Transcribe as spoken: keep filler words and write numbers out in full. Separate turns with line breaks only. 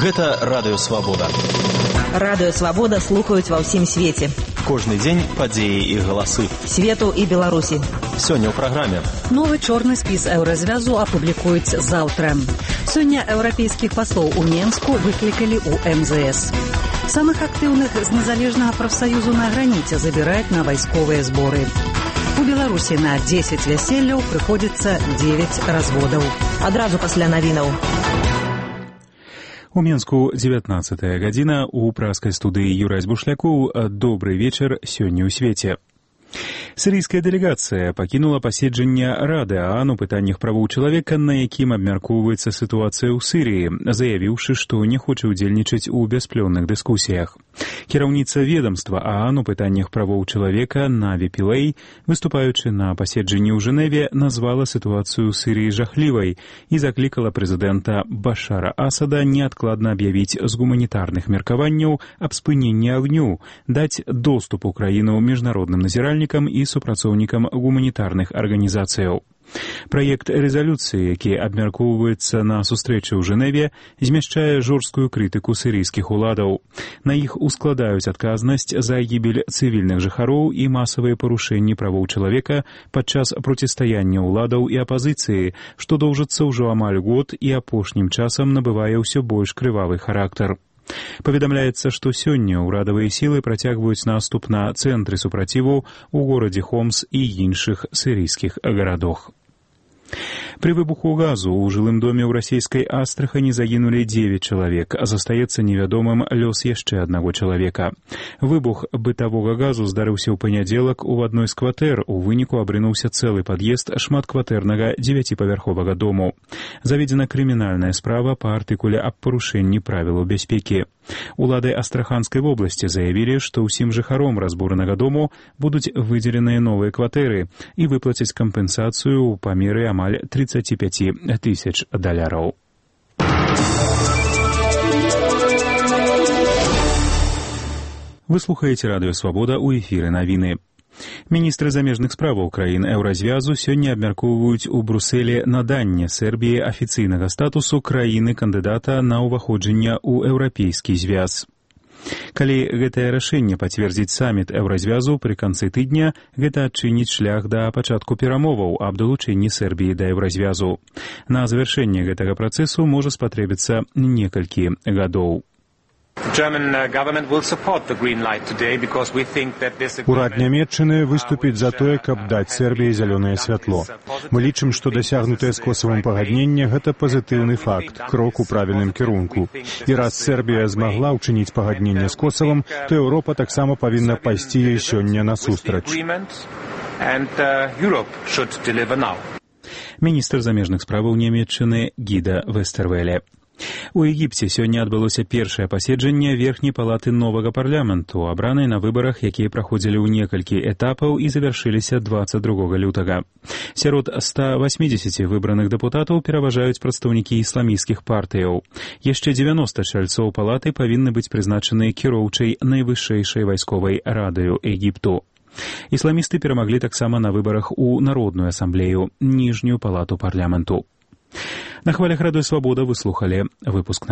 Гэта Радыё Свабода.
Радыё Свабода слухаюць ва ўсім свеце.
Кожны дзень падзеі і галасы.
Свету і Беларусі.
Сёння ў праграме.
Новы чорны спіс еўразвязу апублікуюць заўтра. Сёння еўрапейскіх паслоў у Менску выклікалі ў эм зэ эс. Самых актыўных з незалежнага прафсаюзу на граніце забіраюць на вайсковыя зборы. У Беларусі на дзесяць вяселляў прыходзіцца дзевяць разводаў.
Адразу пасля навінаў.
У Менску дзевятнаццатая гадзіна, у праскай студыі Юрась Бушлякоў. Добры вечар сёння ў свеце. Сірыйская дэлегацыя пакінула паседжанне Рады ААН у пытаннях правоў чалавека, на якім абмяркоўваецца сітуацыя ў Сірыі, заявіўшы, што не хоча ўдзельнічаць у бясплённых дыскусіях. Кіраўніца ведамства ААН у пытаннях правоў чалавека Наві Пілэй, выступаючы на паседжанні ў Жэневе, назвала сітуацыю ў Сірыі жахлівай і заклікала прэзідэнта Башара Асада неадкладна аб'явіць з гуманітарных меркаванняў аб спыненні агню, даць доступ у краіну міжнародным назіральнікам і супрацоўнікам гуманітарных арганізацыяў. Праект рэзалюцыі, які абмяркоўваецца на сустрэчы ў Жэневе, змяшчае жорсткую крытыку сірыйскіх уладаў. На іх ускладаюць адказнасць за гібель цывільных жыхароў і масавыя парушэнні правоў чалавека падчас процістаяння ўладаў і апазіцыі, што доўжыцца ўжо амаль год і апошнім часам набывае ўсё больш крывавы характар. Паведамляецца, што сёння ўрадавыя сілы працягваюць наступ на цэнтры супраціву ў горадзе Хомс і іншых сірыйскіх гарадах. Пры выбуху газу ў жылым доме ў расійскай Астрахані загінулі дзевяць чалавек, а застаецца невядомым лёс яшчэ аднаго чалавека. Выбух бытавога газу здарыўся ў панядзелак у адной з кватэр, у выніку абрынуўся цэлы пад'езд шматкватэрнага дзевяціпавярховага дому. Заведзена крымінальная справа па артыкуле аб парушэнні правілаў бяспекі. Улады Астраханскай вобласці заявілі, што ўсім жыхаром разбуранага дому будуць выдзеленыя новыя кватэры і выплацяць кампенсацыю ў памеры амаль тридцать пять тысяч даляраў. Вы слухаеце Радыё Свабода, у эфіры навіны. Міністры замежных справаў краін еўразвязу сёння абмяркоўваюць у Брусэлі наданне Сербіі афіцыйнага статусу краіны-кандыдата на ўваходжанне ў еўрапейскі звяз. Калі гэтае рашэнне пацвердзіць саміт еўразвязу пры канцы тыдня, гэта адчыніць шлях да пачатку перамоваў аб далучэнні Сербіі да еўразвязу. На завяршэнне гэтага працэсу можа спатрэбіцца некалькі гадоў.
Урад Нямецчыны выступіць за тое, каб даць Сербіі зялёнае святло. Мы лічым, што дасягнутае з Косавам пагадненне – гэта пазітыўны факт, крок у правільным кірунку. І раз Сербія змагла ўчыніць пагадненне з Косавам, то Еўропа таксама павінна пайсці ёй сёння насустрач.
Міністр замежных справаў Нямецчыны Гіда Вестэрвеле. У Егіпце сёння адбылося першае паседжанне верхняй палаты новага парламенту, абранай на выбарах, якія праходзілі ў некалькі этапаў і завяршыліся дваццаць другога лютага. Сярод ста васьмідзесяці выбраных дэпутатаў пераважаюць прадстаўнікі ісламісцкіх партыяў. Яшчэ дзевяноста чальцоў палаты павінны быць прызначаны кіроўчай найвышэйшай вайсковай радаю Егіпту. Ісламісты перамаглі таксама на выбарах у Народную асамблею, ніжнюю палату парламенту. На хвалях Радыё Свабода вы слухалі выпуск